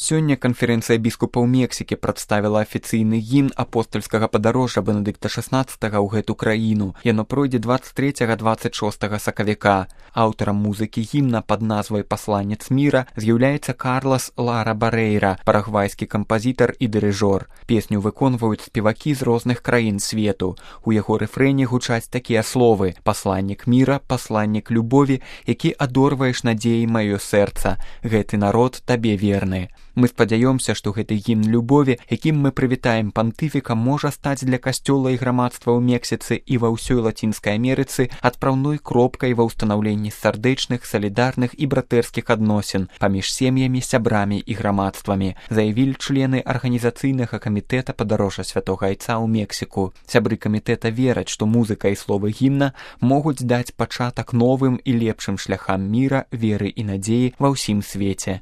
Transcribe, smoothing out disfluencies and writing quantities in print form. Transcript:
Сёння канферэнцыя біскупаў Мексікі прадставіла афіцыйны гімн апостальскага падарожжа Бенедыкта XVI ў гэту краіну. Яно пройдзе 23-26 сакавіка. Аўтарам музыкі гімна пад назвай «Пасланец міра» з'яўляецца Карлас Лара Барейра, парагвайскі кампазітар і дырыжор. Песню выконваюць спевакі з розных краін свету. У яго рэфрэне гучаць такія словы: «Пасланнік міра, пасланнік любові, які адорваеш надзеі маё сэрца. Гэты народ табе верны». Мы спадзяёмся, што гэты гімн любові, якім мы прывітаем пантыфіка, можа стаць для касцёла і грамадства ў Мексіцы і ва ўсёй Лацінскай Амерыцы адпраўной кропкай ва ўстанаўленні сардэчных, салідарных і братэрскіх адносін паміж сем'ямі, сябрамі і грамадствамі, заявілі члены арганізацыйнага камітэта падарожжа Святога Айца ў Мексіку. Сябры камітэта вераць, што музыка і словы гімна могуць даць пачатак новым і лепшым шляхам міра, веры і надзеі ва ўсім свеце.